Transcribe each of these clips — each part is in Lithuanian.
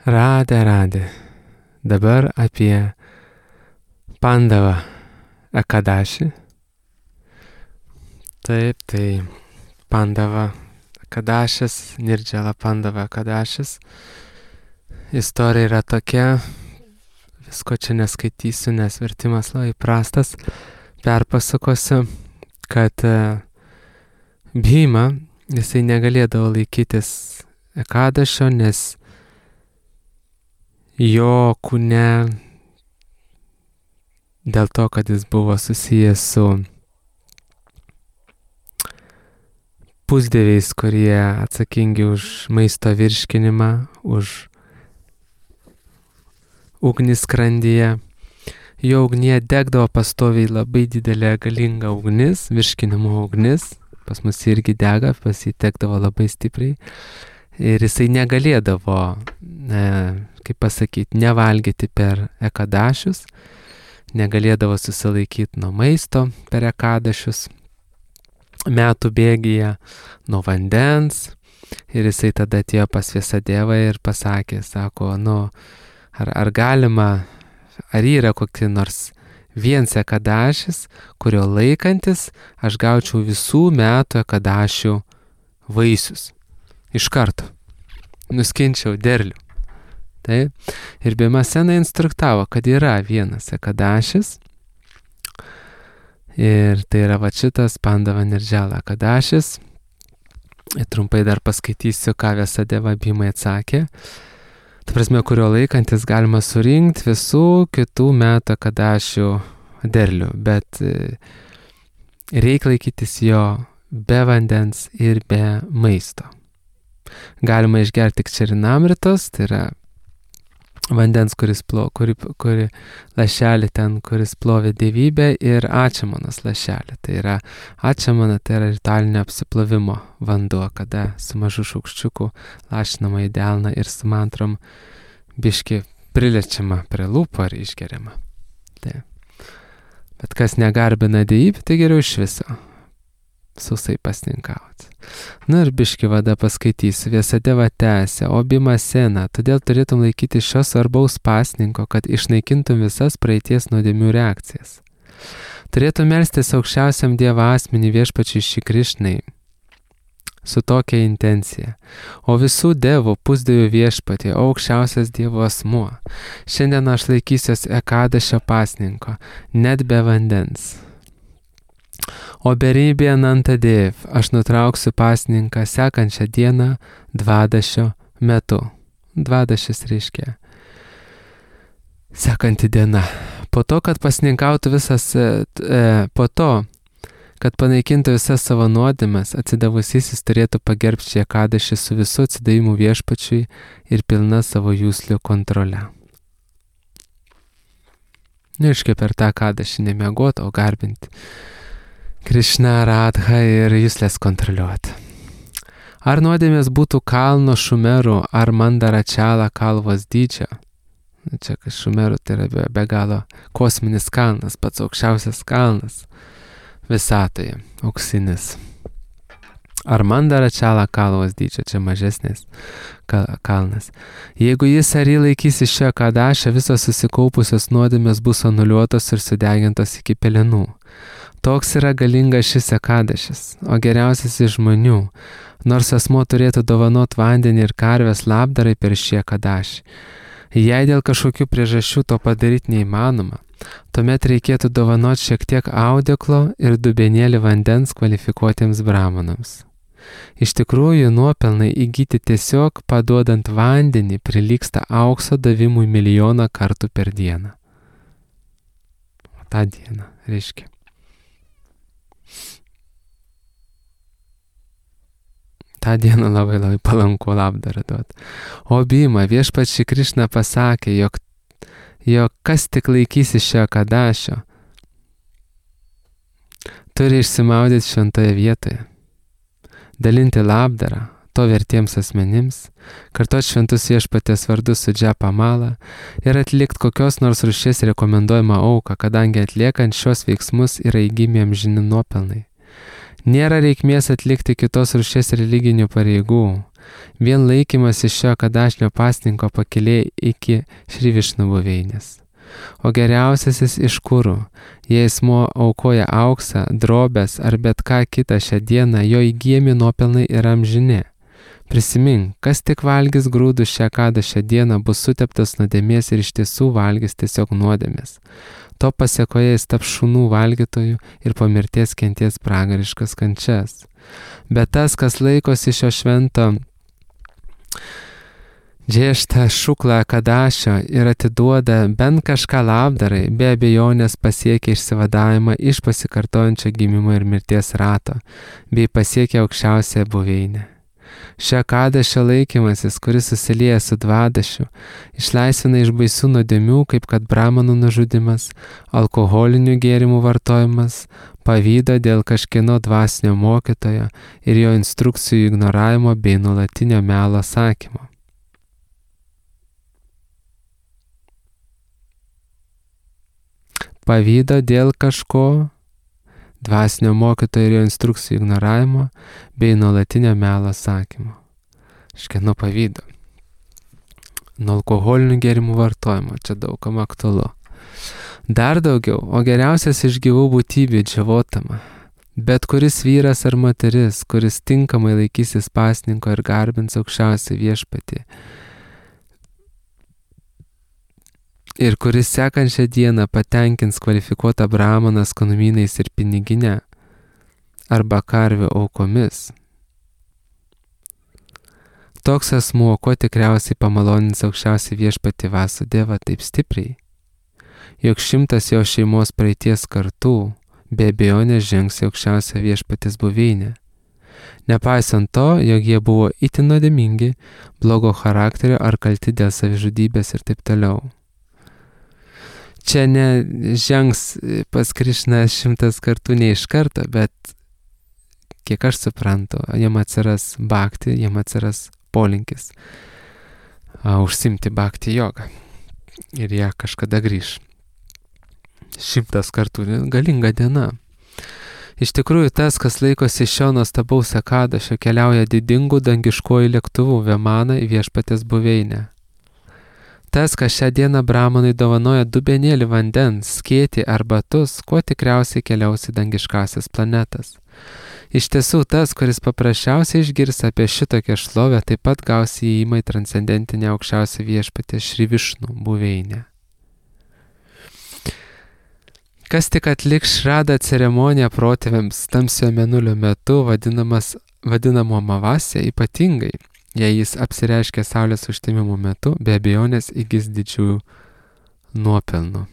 Radė. Dabar apie Pandavą Ekadašį. Taip, tai Pandava Ekadašis, Nirdžala Pandava Ekadašis. Istorija yra tokia, visko čia neskaitysiu, nes vertimas labai prastas. Perpasakosiu, kad Bhima, jisai negalėdavo laikytis Ekadašio, nes jo kūne, dėl to, kad jis buvo susijęs su pusdieviais, kurie atsakingi už maisto virškinimą, už ugnį skrandyje. Jo ugnyje degdavo pastoviai labai didelė galinga ugnis, virškinimo ugnis. Pas mus irgi dega, pas jį degdavo labai stipriai. Ir jisai negalėdavo, kaip pasakyti, nevalgyti per Ekadašius, negalėdavo susilaikyti nuo maisto per Ekadašius, metų bėgyje, nuo vandens. Ir jisai tada atėjo pas Vyasadevą ir pasakė, sako, ar galima, ar yra kokia nors vienas Ekadašis, kurio laikantis aš gaučiau visų metų Ekadašių vaisius. Iš karto. Nuskinčiau derlių. Taip. Ir Bhimasena instruktavo, kad yra vienas Ekadašis. Ir tai yra va šitas Pandava Nirdžala Ekadašis. Ir trumpai dar paskaitysiu, ką Vyasadeva Bhimai atsakė. Ta prasme, kurio laikantis galima surinkti visų kitų metų Ekadašių derlių. Bet reikia laikytis jo be vandens ir be maisto. Galima išgerti tik čerinamritos, tai yra vandens, kuri lašelį ten, kuris plovė dievybę, ir ačamanos lašelį. Tai yra ačamana, tai yra ritualinio apsiplovimo vanduo, kada su mažu šaukščiuku lašinama į delną ir su mantrom biški priliečiama prie lūpų ar išgeriama. Tai. Bet kas negarbina dievybę, tai geriau iš viso sausai pasninkauti. Ir biški vada paskaitysiu. Vyasadeva tęsė, o Bhimasena, todėl turėtum laikyti šio svarbaus pasninko, kad išnaikintum visas praeities nuodėmių reakcijas. Turėtum melstis aukščiausiam Dievo asmenį Viešpačiui Šri Krišnai su tokia intencija. O visų devų pusdievių Viešpatie, aukščiausias Dievo asmuo. Šiandien aš laikysiuos Ekadašio pasninko, net be vandens. O beribė Anantadev, aš nutrauksiu pasninką sekančią dieną Dvadašio metu. Dvadašis reiškia sekanti diena. Po to, kad pasninkautų kad panaikintų visas savo nuodėmes, atsidavusysis turėtų pagerbti šį Ekadašį su visu atsidavimu Viešpačiui ir pilna savo juslių kontrole. Reiškia per tą Ekadašį nemiegoti, o garbinti Krišną, Radhą ir juslės kontroliuoti. Ar nuodėmės būtų kalno Šumerų ar Mandaračala kalvos dydžio? Čia Šumerų tai yra be galo kosminis kalnas, pats aukščiausias kalnas visatoje, auksinis. Ar Mandaračala kalvos dydžio, čia mažesnis kalnas. Jeigu jis ar jį laikysi šio Ekadašio, visos susikaupusios nuodėmės bus anuliuotos ir sudegintos iki pelenų. Toks yra galingas šis Ekadašis, o geriausias iš žmonių, nors asmuo turėtų dovanot vandenį ir karvės labdarai per šį Ekadašį. Jei dėl kažkokių priežasčių to padaryti neįmanoma, tuomet reikėtų dovanot šiek tiek audeklo ir dubenėlį vandens kvalifikuotiems brahmanams. Iš tikrųjų, nuopelnai įgyti tiesiog paduodant vandenį prilygsta aukso davimui 1,000,000 kartų per dieną. O tą dieną reiškia. tą dieną labai palanku labdarą duoti. O Bhima, Viešpats Šri Krišna pasakė, jog kas tik laikysi šio Ekadašio, turi išsimaudyti šventoje vietoje, dalinti labdarą to vertiems asmenims, kartuoti šventus Viešpaties vardus su džapa mala ir atlikti kokios nors rūšies rekomenduojamą auką, kadangi atliekant šios veiksmus yra įgymi amžini nuopelnai. Nėra reikmės atlikti kitos rūšies religinių pareigų. Vien laikymas iš šio Kadašnio pasninko pakilė iki Šri Višnu buveinės. O geriausiasis iš kurų, jei asmuo aukoja auksą, drobes ar bet ką kitą šią dieną, jo įgyjami nuopelnai yra amžini. Prisimink, kas tik valgys grūdus šią Kadašio dieną, bus suteptas nuodėmės ir iš tiesų valgys tiesiog nuodėmės. To pasiekoje jis taps šunų valgytojų ir po mirties kenties pragariškas kančias. Bet tas, kas laikosi šio švento Džieštą šuklą Kadašio ir atiduoda bent kažką labdarai, be abejonės pasiekia išsivadavimą iš pasikartojančio gimimo ir mirties rato, bei pasiekia aukščiausią buveinę. Šio Kadašio laikymasis, kuris susilieja su dvadašiu, išlaisvina iš baisių nuodėmių, kaip kad bramanų nužudimas, alkoholinių gėrimų vartojimas, pavydo dėl kažkieno dvasinio mokytojo ir jo instrukcijų ignoravimo bei nuolatinio melo sakymo. Pavydo dėl kažko, dvasinio mokytojo ir jo instrukcijų ignoravimo bei nuolatinio melo sakymo. Škieno pavydo. Nuo alkoholinių gėrimų vartojimo, čia daugam aktualu. Dar daugiau, o geriausias iš gyvų būtybių džiavotama. Bet kuris vyras ar moteris, kuris tinkamai laikysis pasninko ir garbins aukščiausią viešpatį, ir kuris sekančią dieną patenkins kvalifikuotą brahmaną skanumynais ir piniginę arba karvių aukomis. Toks asmuo, kuo tikriausiai pamalonins aukščiausią viešpatį Vasudevą taip stipriai, jog 100 jo šeimos praeities kartų be abejonės žengs į aukščiausią viešpatės buveinę. Nepaisant to, jog jie buvo itin nuodėmingi, blogo charakterio ar kalti dėl savižudybės ir taip toliau. Čia nežengs pas Krišną 100 kartų ne iš karto, bet kiek aš suprantu, jam atsiras bhakti, jam atsiras polinkis užsimti bhakti jogą ir jie kažkada grįš. 100 kartų, galinga diena. Iš tikrųjų, tas, kas laikosi šio nuostabaus Kadašio, keliauja didingų dangiškojų lėktuvų Vemana į viešpatės buveinę. Tas, kas šią dieną bramanui dovanoja dubenėlį vandens, skėtį ar batus, kuo tikriausiai keliaus į dangiškasias planetas. Iš tiesų, tas, kuris paprasčiausiai išgirs apie šitokią šlovę, taip pat gaus įėjimą į transcendentinę aukščiausią viešpatę Šri Višnu buveinę. Kas tik atliks šradą ceremoniją protėviams tamsiojo mėnulio metu, vadinamo Amavasya, ypatingai, jei jis apsireiškia saulės užtemimo metu, be abejonės įgis didžiųjų nuopelnų.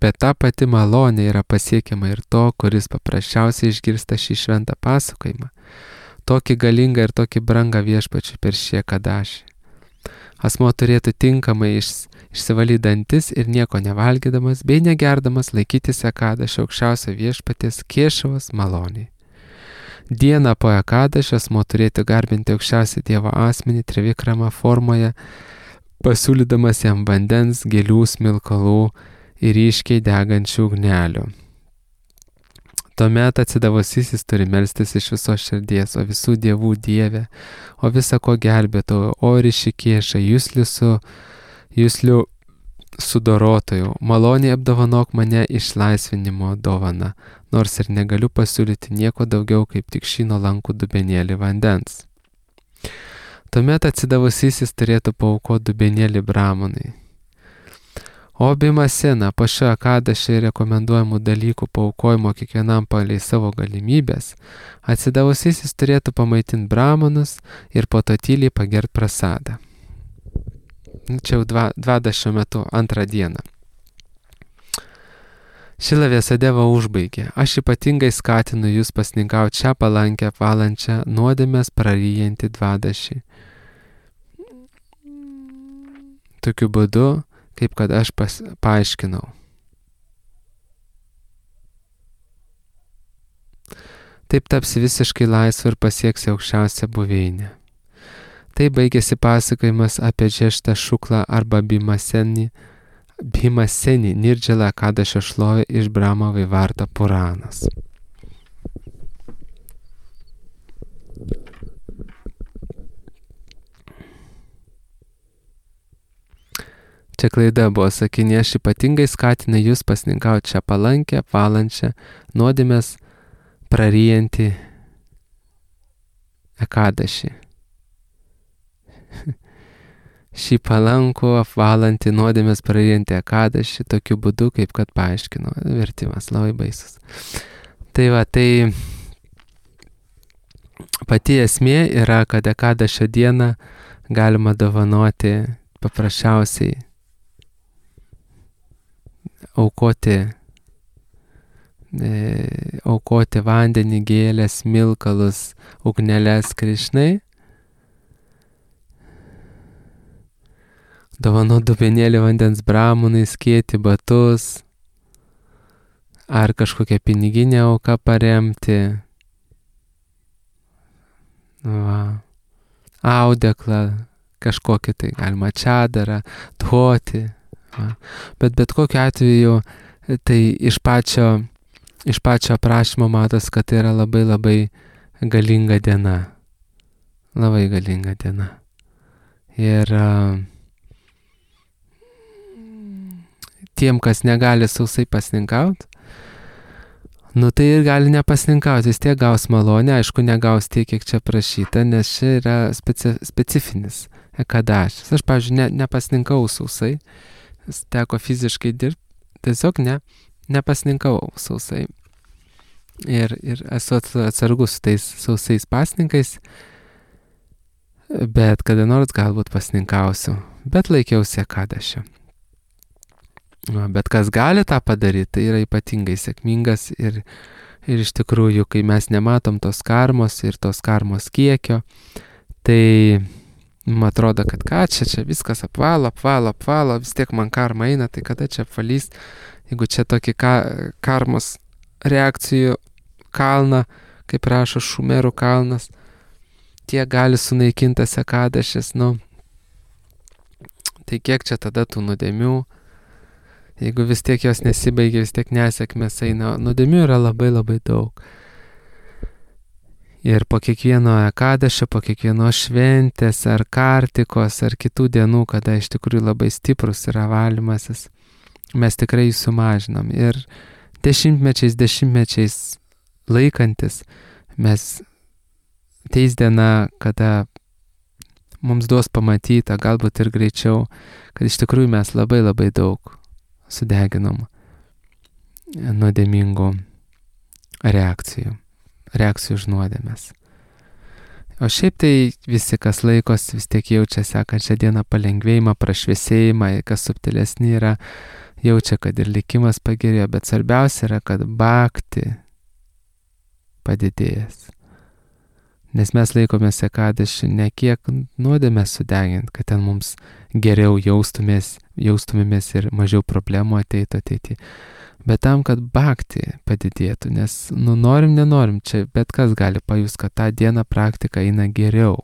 Bet ta pati malonė yra pasiekiama ir to, kuris paprasčiausiai išgirsta šį šventą pasakojimą, tokį galingą ir tokį brangą viešpačiui per šį Kadašį. Asmuo turėtų tinkamai išsivalyti dantis ir nieko nevalgydamas bei negerdamas laikytis Kadašio aukščiausio viešpaties Kešavos maloniai. Dieną po Kadašio asmuo turėtų garbinti aukščiausią Dievo asmenį Trivikrama formoje, pasiūlydamas jam vandens, gėlių, smilkalų ir ryškiai degančių ugnelių. Tuomet atsidavusysis turi melstis iš visos širdies, o visų dievų dievė, o visa ko gelbėtojo, o Rišikėša, juslių sudorotojų, maloniai apdovanok mane išlaisvinimo dovana, nors ir negaliu pasiūlyti nieko daugiau kaip tik šį nuolankų dubenėlį vandens. Tuomet atsidavusysis turėtų paaukoti dubenėlį bramanai. O Bimasena po šio Kadašio rekomenduojamų dalykų paaukojimo kiekvienam palei savo galimybės, atsidavusysis turėtų pamaitinti bramanus ir po to tyliai pagert prasadą. Čia jau dvadašio metu, 2 dieną. Šila Vyasadeva užbaigė. Aš ypatingai skatinu jūs pasninkauti šią palankę, valančią, nuodėmės praryjantį dvadašį. Tokiu būdu, kaip kad aš paaiškinau. Taip tapsi visiškai laisvu ir pasieksi aukščiausią buveinę. Tai baigėsi pasakojimas apie Džieštą šuklą arba Bimaseni Nirdžala Kadašio šlovę iš Brahma Vaivarta Puranas. Čia klaida buvo sakinė, aš ypatingai skatinu jūs pasninkauti šią palankę, valančią, nuodėmės praryjantį ekadašį. Šį palankų apvalantį nuodėmės praryjantį ekadašį tokiu būdu, kaip kad paaiškino. Vertimas labai baisus. Tai va, tai pati esmė yra, kad ekadašio dieną galima dovanoti paprasčiausiai aukoti vandenį, gėlės, smilkalus, ugneles Krišnai, dovanoti dubenėlį vandens bramunai, skėti batus, ar kažkokią piniginę auką paremti, audeklą, kažkokį tai galima čadarą, duoti. Bet kokiu atveju, tai iš pačio aprašymo matos, kad tai yra labai labai galinga diena. Labai galinga diena. Ir tiem, kas negali sausai pasninkauti, tai ir gali nepasninkauti, vis tiek gaus malonę, aišku, negaus tiek, kiek čia prašyta, nes čia yra specifinis ekadašis. Aš, pavyzdžiui, nepasninkau sausai, teko fiziškai dirbti, tiesiog nepasninkau sausai. Ir esu atsargus su tais sausais pasninkais, bet kada nors galbūt pasninkausiu, bet laikiausi ekadašio. Bet kas gali tą padaryti, tai yra ypatingai sėkmingas ir iš tikrųjų, kai mes nematom tos karmos ir tos karmos kiekio, tai man atrodo, kad čia viskas apvalo, vis tiek man karma eina, tai kada čia apvalys, jeigu čia tokį karmos reakcijų kalną, kaip rašo Šumerų kalnas, tiek gali sunaikintas ekadašis, tai kiek čia tada tų nuodėmių, jeigu vis tiek jos nesibaigia, vis tiek nesėkmės eina, nuodėmių yra labai labai daug. Ir po kiekvieno ekadašio, po kiekvienos šventės, ar kartikos, ar kitų dienų, kada iš tikrųjų labai stiprus yra valymasis, mes tikrai jį sumažinam. Ir dešimtmečiais laikantis, mes teis diena, kada mums duos pamatyta, galbūt ir greičiau, kad iš tikrųjų mes labai labai daug sudeginom nuodėmingų reakcijų už nuodėmes. O šiaip tai visi, kas laikos, vis tiek jaučia sekančią dieną palengvėjimą, prašviesėjimą, kas subtilesni yra, jaučia, kad ir likimas pagerėjo, bet svarbiausia yra, kad bhakti padidėjęs. Nes mes laikomės ekadašį ne kiek nuodėmės sudegint, kad ten mums geriau jaustumėmės ir mažiau problemų ateitų ateity. Bet tam, kad bhakti padidėtų, nes norim, nenorim, čia bet kas gali pajust, kad tą dieną praktika eina geriau.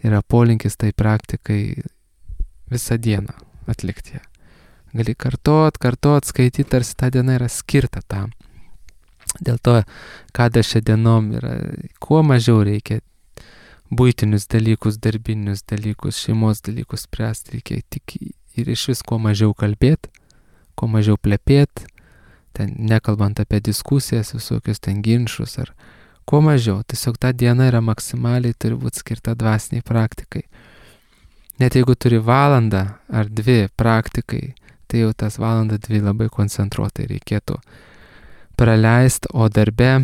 Yra polinkis tai praktikai visą dieną atlikti. Gali kartot, skaityti, tarsi ta diena yra skirta tam. Dėl to, kada šią dienom yra, kuo mažiau reikia buitinius dalykus, darbinius dalykus, šeimos dalykus spręsti, reikia tik ir iš vis kuo mažiau kalbėti, kuo mažiau plepėti, ten nekalbant apie diskusijas, visokius ten ginčus ar kuo mažiau. Tiesiog ta diena yra maksimaliai turi būti skirta dvasiniai praktikai. Net jeigu turi valandą ar 2 praktikai, tai jau tas valandą 2 labai koncentruotai reikėtų praleisti, o darbe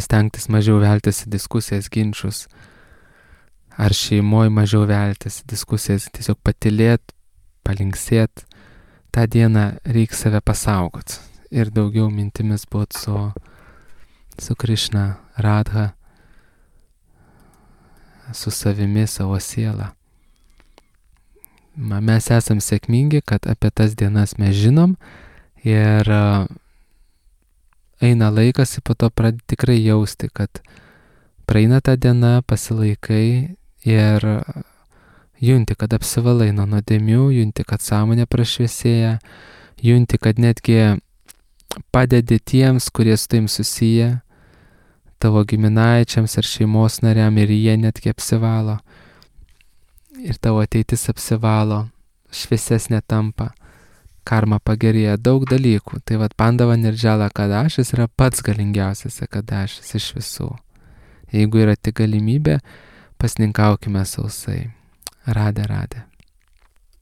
stengtis mažiau veltis į diskusijas, ginčus, ar šeimoje mažiau veltis į diskusijas, tiesiog patylėt, palinksėt. tą dieną reikia save pasaugot ir daugiau mintimis būt su Krišna, Radha, su savimi, savo siela. Mes esam sėkmingi, kad apie tas dienas mes žinom ir eina laikas ir po to pradedi tikrai jausti, kad praeina ta diena, pasilaikai ir junti, kad apsivalai nuo nuodėmių, junti, kad sąmonė prašviesėja, junti, kad netgi padedi tiems, kurie su taim susiję, tavo giminaičiams ar šeimos nariam ir jie netgi apsivalo. ir tavo ateitis apsivalo, šviesesnė tampa, karma pagerėja, daug dalykų. Tai vat Pandava Nirjala Akadašis yra pats galingiausias Akadašis iš visų. Jeigu yra tik galimybė, pasninkaukime sausai. Radė.